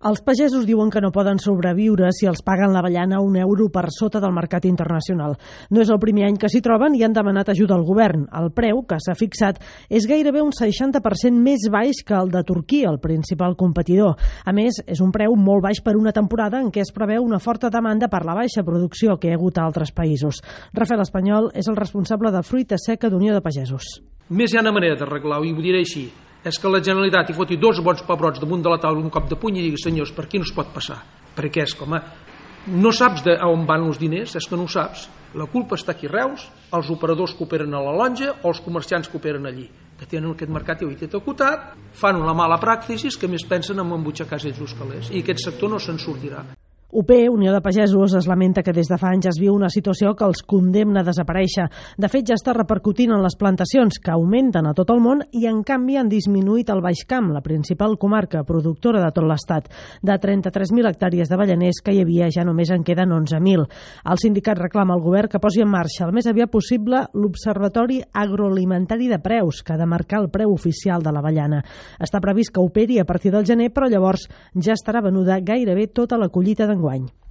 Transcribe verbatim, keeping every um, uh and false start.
Els pagesos diuen que no poden sobreviure si els paguen l'avellana un euro per sota del mercat internacional. No és el primer any que s'hi troben i han demanat ajuda al govern. El preu que s'ha fixat és gairebé un seixanta per cent més baix que el de Turquia, el principal competidor. A més, és un preu molt baix per una temporada en què es preveu una forta demanda per la baixa producció que hi ha hagut a altres països. Rafael Espanyol és el responsable de fruita seca d'Unió de Pagesos. Més hi ha una manera d'arreglar-ho, i ho diré així. És que la Generalitat hi foti dos bons pebrots damunt de la taula un cop de puny i digui: senyors, per aquí no es pot passar. Perquè és com a... No saps de on van els diners, és que no ho saps. La culpa està aquí a Reus, els operadors que operen a la lonja o els comerciants que operen allí, que tenen aquest mercat i ho té acotat, fan una mala pràctica que més pensen en embutxacar ells els calés, i aquest sector no se'n sortirà. U P, Unió de Pagesos, es lamenta que des de fa anys es viu una situació que els condemna a desaparèixer. De fet, ja està repercutint en les plantacions, que augmenten a tot el món i, en canvi, han disminuït al Baix Camp, la principal comarca productora de tot l'Estat. De trenta-tres mil hectàrees d'avellaners que hi havia, ja només en queden onze mil. El sindicat reclama al govern que posi en marxa el més aviat possible l'Observatori Agroalimentari de Preus, que ha de marcar el preu oficial de l'avellana. Està previst que operi a partir del gener, però llavors ja estarà venuda gairebé tota la collita d'enguany.